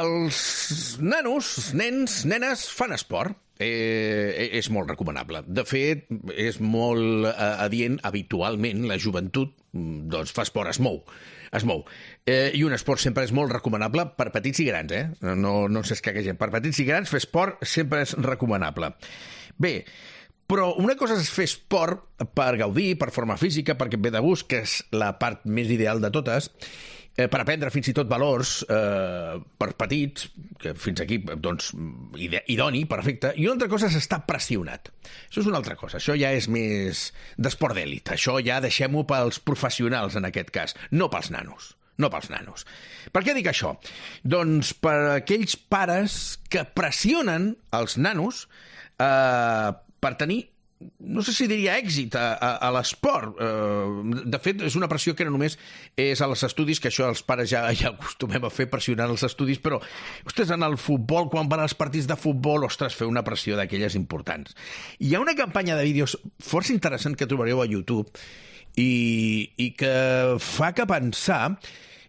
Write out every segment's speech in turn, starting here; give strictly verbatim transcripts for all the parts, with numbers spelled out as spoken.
els nanos, nens, nenes fan esport. Eh, és molt recomanable. De fet, és molt eh, adient, habitualment, la joventut doncs, fa esport, es mou. Es mou. Eh, I un esport sempre és molt recomanable per petits i grans, eh? No, no s'escaquegem. Per petits i grans, fer esport sempre és recomanable. Bé, però una cosa és fer esport per gaudir, per forma física, perquè et ve de gust, que és la part més ideal de totes, eh, per aprendre fins i tot valors eh, per petits, que fins aquí, doncs, idoni, perfecte. I una altra cosa és estar pressionat. Això és una altra cosa. Això ja és més d'esport d'èlit. Això ja deixem-ho pels professionals, en aquest cas, no pels nanos. No pels nanos. Per què dic això? Doncs per aquells pares que pressionen els nanos eh, per tenir, no sé si diria èxit a, a, a l'esport. Uh, de fet, és una pressió que no només és a els estudis, que això els pares ja, ja acostumem a fer, pressionar els estudis, però, ostres, en el futbol, quan van als partits de futbol, ostres, fer una pressió d'aquelles importants. Hi ha una campanya de vídeos força interessant que trobareu a YouTube i, i que fa que pensar...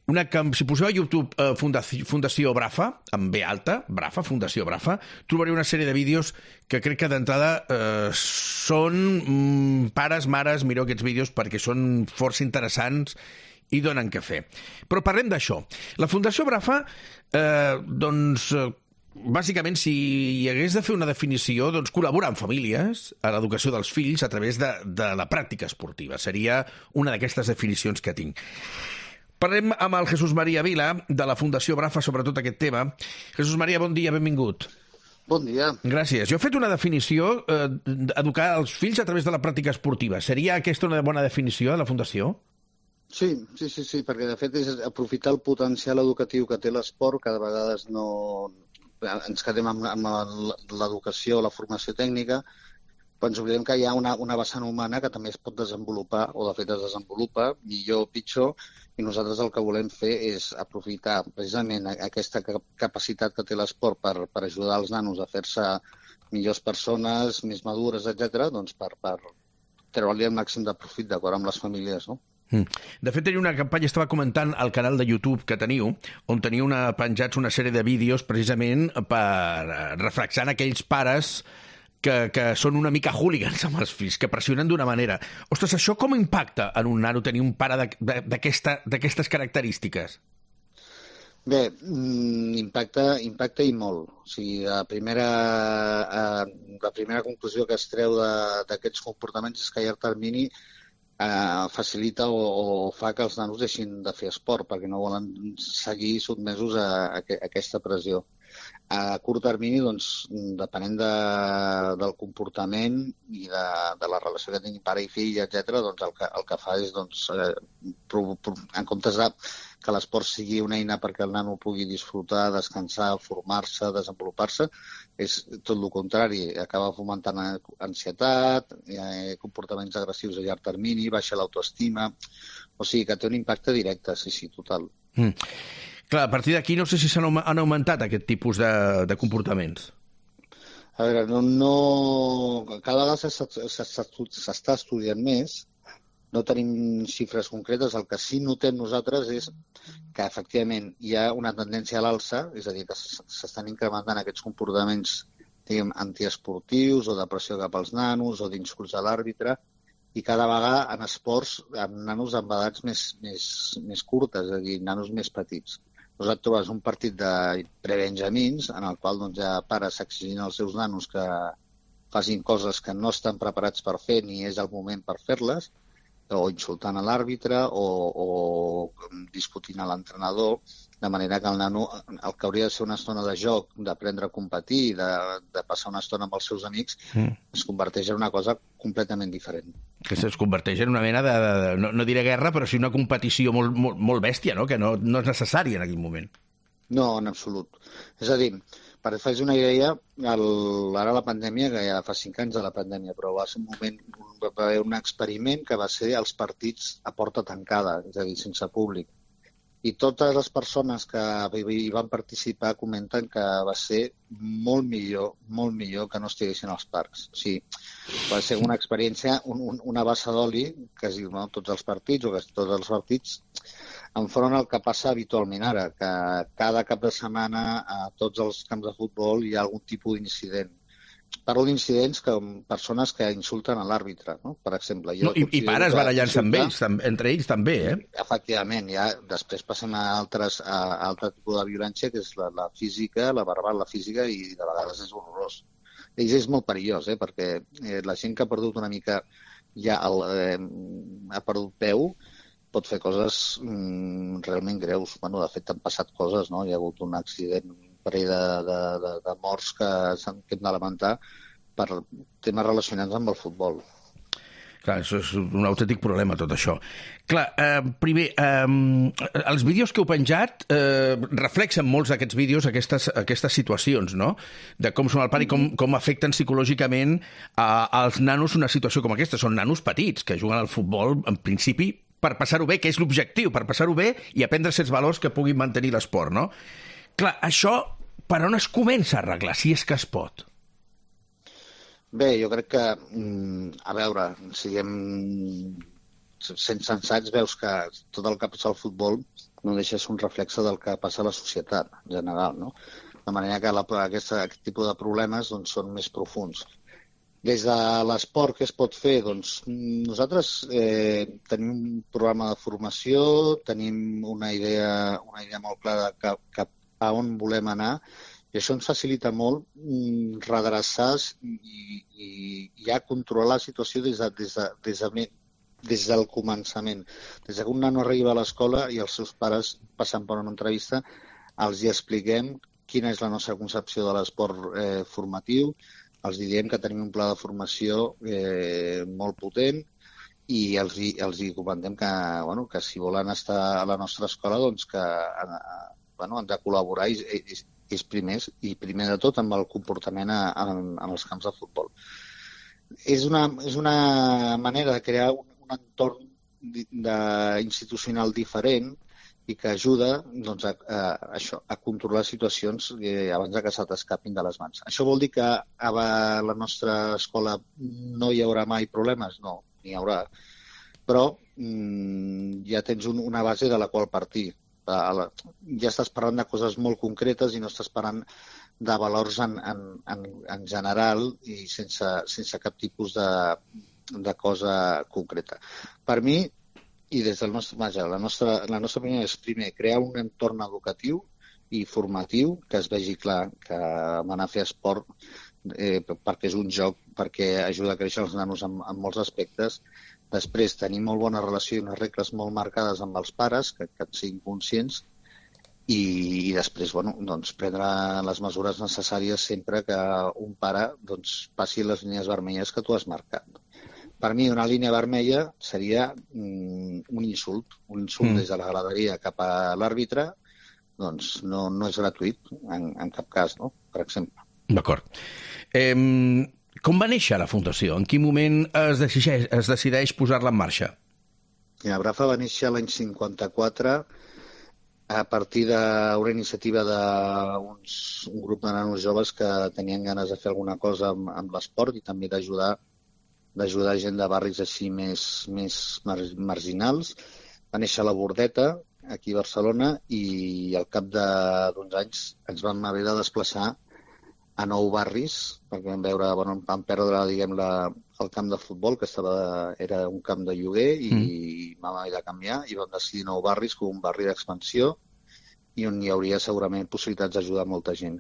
Una, si poseu a YouTube eh, Fundació, Fundació Brafa, amb B alta, Brafa, Fundació Brafa, trobareu una sèrie de vídeos que crec que d'entrada eh, són mm, pares, mares, mireu aquests vídeos perquè són força interessants i donen què fer. Però parlem d'això. La Fundació Brafa, eh, doncs... Eh, bàsicament, si hi hagués de fer una definició, doncs col·laborar amb famílies a l'educació dels fills a través de, de la pràctica esportiva. Seria una d'aquestes definicions que tinc. Parlem amb el Jesús María Vila, de la Fundació Brafa, sobre tot aquest tema. Jesús María, bon dia, benvingut. Bon dia. Gràcies. Jo he fet una definició, eh, educar els fills a través de la pràctica esportiva. Seria aquesta una bona definició de la Fundació? Sí, sí, sí, sí, perquè de fet és aprofitar el potencial educatiu que té l'esport, que de vegades no ens quedem amb, amb l'educació, la formació tècnica, però ens oblidem que hi ha una, una vessant humana que també es pot desenvolupar, o de fet es desenvolupa, millor o pitjor, i nosaltres el que volem fer és aprofitar precisament aquesta capacitat que té l'esport per, per ajudar els nanos a fer-se millors persones, més madures, etcètera, doncs per, per treure-li el màxim de profit d'acord amb les famílies, no? De fet, teniu una campanya, estava comentant al canal de YouTube que teniu, on teniu una, penjats una sèrie de vídeos precisament per reflexar aquells pares que, que són una mica hooligans amb els fills, que pressionen d'una manera. Ostres, això com impacta en un nano tenir un pare d'aquestes característiques? Bé, impacta, impacta i molt. O sigui, la primera, eh, la primera conclusió que es treu d'aquests comportaments és que a llarg termini eh, facilita o, o fa que els nanos deixin de fer esport perquè no volen seguir sotmesos a, a, a aquesta pressió. A curt termini, doncs, depenent de, del comportament i de, de la relació que tingui pare i fill, etcètera, doncs el que, el que fa és, doncs, eh, pro, pro, en comptes de que l'esport sigui una eina perquè el nano pugui disfrutar, descansar, formar-se, desenvolupar-se, és tot el contrari. Acaba fomentant ansietat, eh, comportaments agressius a llarg termini, baixa l'autoestima... O sigui que té un impacte directe, sí, sí, total. Mm. Clar, a partir d'aquí no sé si s'han han augmentat aquest tipus de, de comportaments. A veure, no, no... cada vegada s'està estudiant més, no tenim xifres concretes, el que sí notem nosaltres és que efectivament hi ha una tendència a l'alça, és a dir, que s'estan incrementant aquests comportaments, diguem, antiesportius o de pressió cap als nanos o d'insults a l'àrbitre, i cada vegada en esports amb nanos amb edats més, més, més curtes, és a dir, nanos més petits. Nosaltres trobes un partit de prebenjamins en el qual doncs, ja pares exigint als seus nanos que facin coses que no estan preparats per fer ni és el moment per fer-les, o insultant a l'àrbitre o, o discutint a l'entrenador, de manera que el nano, el que hauria de ser una estona de joc, d'aprendre a competir, de, de passar una estona amb els seus amics, mm. es converteix en una cosa completament diferent. Que es converteix en una mena de, de, de no, no diré guerra, però sí una competició molt, molt, molt bèstia, no? Que no, no és necessària en aquell moment. No, en absolut. És a dir, per fer-vos una idea, el, ara la pandèmia, que ja fa cinc anys de la pandèmia, però va ser un moment, va haver un experiment que va ser els partits a porta tancada, és a dir, sense públic. I totes les persones que hi van participar comenten que va ser molt millor, molt millor que no estiguessin als parcs. O sigui, va ser una experiència, un, un, una bassa d'oli, que es diu, no, tots els partits, o que tots els partits, enfront al que passa habitualment ara, que cada cap de setmana a tots els camps de futbol hi ha algun tipus d'incident. Parlo d'incidents que persones que insulten a l'àrbitre, no? Per exemple. Jo no, i, I pares barallant-se amb ells, tam, entre ells també, eh? Efectivament, ja després passem a altres a, a altre tipus de violència, que és la, la física, la verbal, la física, i de vegades és horrorós. Ells és molt perillós, eh? Perquè eh, la gent que ha perdut una mica ja el, eh, ha perdut peu pot fer coses mm, realment greus. Bueno, de fet, han passat coses, no? Hi ha hagut un accident, un parell de, de, de, de morts que s'han que hem de lamentar per temes relacionats amb el futbol. Clar, això és un autèntic problema, tot això. Clar, eh, primer, eh, els vídeos que heu penjat eh, reflexen molts d'aquests vídeos aquestes, aquestes situacions, no? De com són el pare i com, com afecten psicològicament a, als nanos una situació com aquesta. Són nanos petits que juguen al futbol, en principi, per passar-ho bé, que és l'objectiu, per passar-ho bé i aprendre certs valors que puguin mantenir l'esport, no? Clar, això per on es comença a arreglar, si és que es pot? Bé, jo crec que, a veure, siguem sent sensats, veus que tot el que passa al futbol no deixa de ser un reflexe del que passa a la societat en general, no? De manera que la, aquesta, aquest tipus de problemes doncs, són més profuns. Des de l'esport, què es pot fer? Doncs nosaltres eh, tenim un programa de formació, tenim una idea, una idea molt clara de cap a on volem anar, i això ens facilita molt mm, redreçar i, i ja controlar la situació des, de, des, de, des, de, des del començament. Des que un nano arriba a l'escola i els seus pares passen per una entrevista, els hi expliquem quina és la nostra concepció de l'esport eh, formatiu, els diem que tenim un pla de formació eh, molt potent i els hi, els hi comentem que, bueno, que si volen estar a la nostra escola doncs que eh, bueno, han de col·laborar i, i, i primers, i primer de tot amb el comportament a, a, en els camps de futbol. És una, és una manera de crear un, un entorn de, institucional diferent i que ajuda doncs, a, a, això, a controlar situacions eh, abans de que se t'escapin de les mans. Això vol dir que a la nostra escola no hi haurà mai problemes? No, n'hi haurà. Però mm, ja tens un, una base de la qual partir. Ja estàs parlant de coses molt concretes i no estàs parlant de valors en, en, en, en general i sense, sense cap tipus de, de cosa concreta. Per mi, i des del nostre, vaja, la nostra, la nostra opinió és primer crear un entorn educatiu i formatiu que es vegi clar que anar a fer esport eh, perquè és un joc, perquè ajuda a créixer els nanos en, en molts aspectes. Després, tenir molt bona relació i unes regles molt marcades amb els pares, que, que siguin conscients, i, i després, bueno, doncs, prendre les mesures necessàries sempre que un pare doncs, passi les línies vermelles que tu has marcat. Per mi, una línia vermella seria mm, un insult, un insult mm. des de la graderia cap a l'àrbitre, doncs no, no és gratuït, en, en cap cas, no? Per exemple. D'acord. Eh... Com va néixer la Fundació? En quin moment es decideix, es decideix posar-la en marxa? La Brafa va néixer l'any cinquanta-quatre a partir d'una iniciativa d'un grup de nanos joves que tenien ganes de fer alguna cosa amb, amb l'esport i també d'ajudar d'ajudar gent de barris així més, més mar, marginals. Va néixer a la Bordeta, aquí a Barcelona, i al cap d'uns anys ens vam haver de desplaçar a nou barris, perquè vam veure, bueno, vam perdre, diguem, la, el camp de futbol, que estava, era un camp de lloguer, i mm. vam haver de canviar, i vam decidir nou barris com un barri d'expansió, i on hi hauria segurament possibilitats d'ajudar molta gent.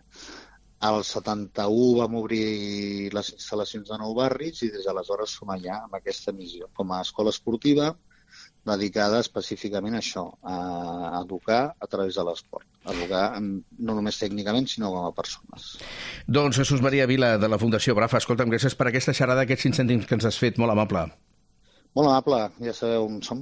Al setanta-u vam obrir les instal·lacions de nou barris, i des d'aleshores som allà amb aquesta missió, com a escola esportiva, dedicada específicament a això, a educar a través de l'esport. Educar no només tècnicament, sinó com a persones. Doncs Jesús Maria Vila, de la Fundació Brafa, escolta'm, gràcies per aquesta xerrada, aquests cinc cèntims que ens has fet, molt amable. Molt amable, ja sabeu on som.